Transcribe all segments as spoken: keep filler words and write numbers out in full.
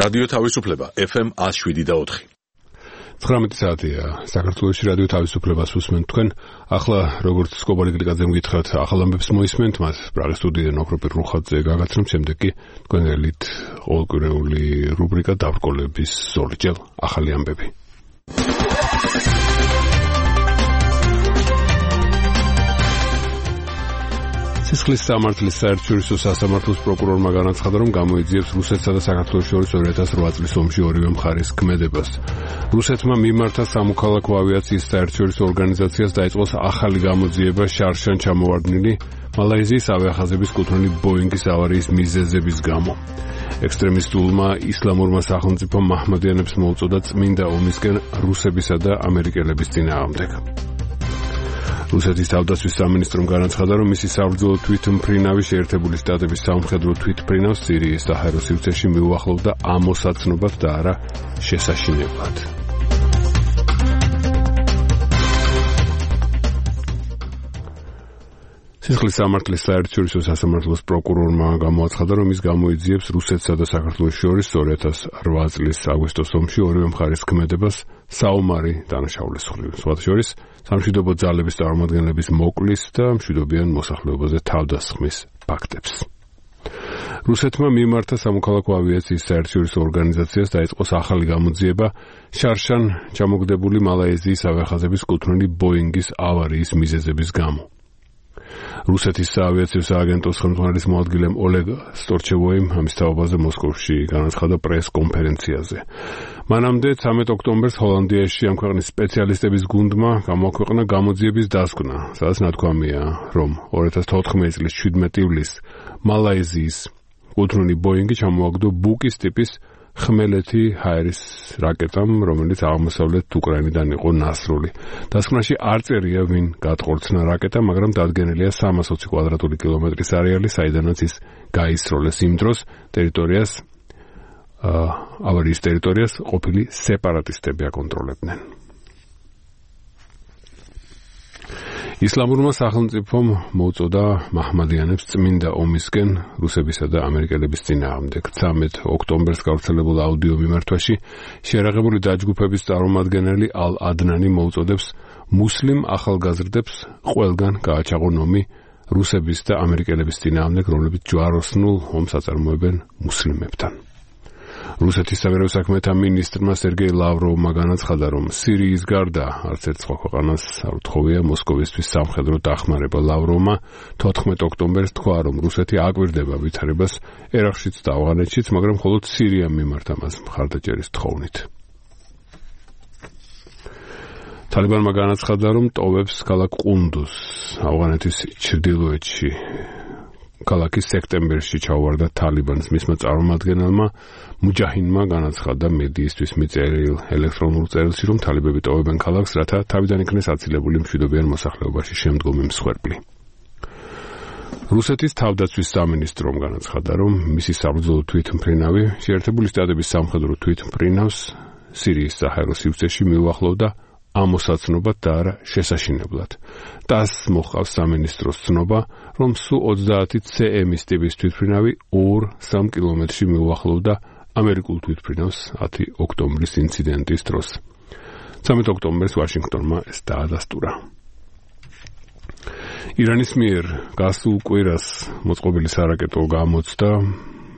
რადიო თავისუფლება ეფ ემ one oh seven და four. ცხრამეტი საათია საქართველოში რადიო თავისუფლებას უსმენთ თქვენ. ახლა როგორც სკობარი გლიკაძემ გითხრათ, ახალ ამბებს მოისმენთ, მას პრაღის სტუდიიდან ოქროპირ რუხაძე გაგაცნობ, შემდეგ კი თქვენგანით ყოველკვირეული რუბრიკა დაბრკოლების ზოლი. ჯერ ახალი ამბები. სისხლის სამართლის საერთაშორისო სასამართლოს პროკურორმა განაცხადა, რომ გამოიძიებს რუსეთსა და საქართველოს შორის two thousand eight წლის ომში ორივე მხარის ქმედებას. რუსეთმა მიმართა სამოქალაქო ავიაციის საერთაშორისო ორგანიზაციას დაიწყოს ახალი გამოძიება შარშან ჩამოვარდნილი მალაიზიის ავიახაზების კუთვნილი ბოინგის ავარიის მიზეზების გამო. ექსტრემისტულმა ისლამურმა სახელმწიფომ მაჰმადიანებს მოუწოდა წმინდა ომისკენ რუსებისა და ამერიკელების წინააღმდეგ. რუსეთის თავდაცვის სამინისტრომ განაცხადა, რომ მისი საბრძოლო თვითმფრინავი შეერთებული შტატების სამხედრო თვითმფრინავს სირიის საჰაერო სივრცეში მიუახლოვდა ამოსაცნობად და არა შესაშინებლად. სისხლის სამართლის საერთაშორისო სასამართლოს პროკურორმა გამოაცხადა, რომ ის გამოიძიებს რუსეთსა და საქართველოს შორის two thousand eight წლის აგვისტოს ომში ორივე მხარის ქმედებას საომარი დანაშაულის მხრივ. სხვათა შორის სამშვიდობო ძალების წარმომადგენლების მოკლის და მშვიდობიან მოსახლეობაზე თავდასხმის ფაქტებს. რუსეთმა მიმართა სამოქალაქო ავიაციის საერთაშორისო ორგანიზაციას დაიწყოს ახალი გამოძიება შარშან ჩამოგდებული მალაიზიის ავიახაზების კუთვნილი ბოინგის ავარიის მიზეზების გამო. რუსეთის საავიაციო სააგენტოს ხელმძღვანელის მოადგილემ ოლეგ სტორჩევოიმ ამის თაობაზე მოსკოვში განაცხადა პრეს-კონფერენციაზე. მანამდე thirteen ოქტომბერს ჰოლანდიაში ამ ქვეყნის სპეციალისტების გუნდმა გამოაქვეყნა გამოძიების დასკვნა, სადაც ნათქვამია, რომ twenty fourteen წლის seventeen ივლისს მალაიზიის კუთვნილი ბოინგი ჩამოაგდო ბუკის ტიპის ხმელეთი ჰაერის რაკეტამ, რომელიც აღმოსავლეთ უკრაინიდან იყო ნასრული. დასკვნაში არ წერია, ვინ გატყორცნა რაკეტა, მაგრამ დადგენილია three hundred twenty კვადრატული კილომეტრის არეალი, საიდანაც ის გაისროლეს იმ დროს ტერიტორიას ავარიის ტერიტორიას ყოფილი სეპარატისტები აკონტროლებდნენ. ისლამურმა სახელმწიფომ მოუწოდა მაჰმადიანებს წმინდა ომისკენ რუსებისა და ამერიკელების წინააღმდეგ. thirteen ოქტომბერს გავრცელებულ აუდიო მიმართვაში შეერაღებული დაჯგუფების წარმომადგენელი ალ ადნანი მოუწოდებს მუსლიმ ახალგაზრდებს ყველგან გააჩაღონ ომი რუსების და ამერიკელების წინააღმდეგ, რომლებიც ჯვაროსნულ ომს აწარმოებენ მუსლიმებთან. რუსეთის საგარეო საქმეთა მინისტრმა სერგეი ლავროვმა განაცხადა, რომ სირიის გარდა არც ერთ სხვა ქვეყანას არ უთხოვია მოსკოვისთვის სამხედრო დახმარება. ლავროვმა fourteen ოქტომბერს თქვა, რომ რუსეთი აკვირდება ვითარებას ერაყშიც და ავღანეთშიც, მაგრამ მხოლოდ სირიამ მიმართა მას მხარდაჭერის თხოვნით. თალიბანმა განაცხადა, რომ ტოვებს ქალაქ ყუნდუს ავღანეთის ჩრდილოეთში. ქალაქი სექტემბერში ჩაუვარდა თალიბანს. მისმა წარმომადგენელმა მუჯაჰინმა განაცხადა მედიისთვის მიწერილ ელექტრონულ წერილში, რომ თალიბები ტოვებენ ქალაქს, რათა თავიდან იქნეს აცილებული მშვიდობიან მოსახლეობაში შემდგომი მსხვერპლი. რუსეთის თავდაცვის სამინისტრომ განაცხადა, რომ მისი საბრძოლო თვითმფრინავი შეერთებული შტატების სამხედრო თვითმფრინავს სირიის საჰაერო სივრცეში მიუახლოვდა ამოსაცნობად და არა შესაშინებლად. ტას მოჰყავს სამინისტროს ცნობა, რომ სუ twenty C M-ის ტიპის თვითმფრინავი two to three კილომეტრში მიუახლოვდა ამერიკულ თვითმფრინავს ten ოქტომბრის ინციდენტის დროს. thirteen ოქტომბერს ვაშინგტონმა ეს დაადასტურა. ირანის მიერ გასულ კვირას მოწყობილი სარაკეტო გამოცდა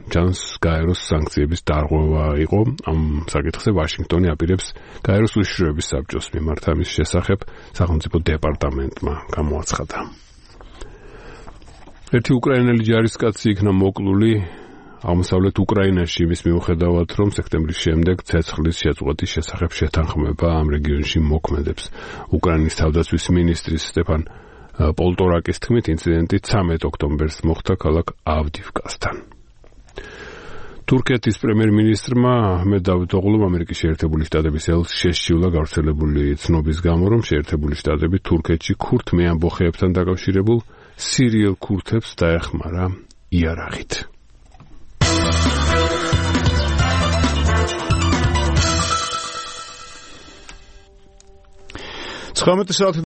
ჩანს გაეროს სანქციების დარღვევა იყო. ამ საკითხზე ვაშინგტონი აპირებს გაეროს უშიშროების საბჭოს მიმართ. ამის შესახებ სახელმწიფო დეპარტამენტმა გამოაცხადა. ერთი უკრაინელი ჯარისკაცი იქნა მოკლული აღმოსავლეთ უკრაინაში იმის მიუხედავად, რომ სექტემბრის შემდეგ ცეცხლის შეწყვეტის შესახებ შეთანხმება ამ რეგიონში მოქმედებს. უკრაინის თავდაცვის მინისტრის სტეფან პოლტორაკის თქმით, ინციდენტი thirteen ოქტომბერს მოხდა ქალაქ ავდივკასთან. თურქეთის პრემიერ-მინისტრმა აჰმედ დავუთოღლუმ ამერიკის შეერთებული შტატების ელს შესჩივლა გავრცელებული ცნობის გამო, რომ შეერთებული შტატები თურქეთში ქურთ მეამბოხეებთან დაკავშირებულ სირიელ ქურთებს დაეხმარა იარაღით. ცხრამეტი საათი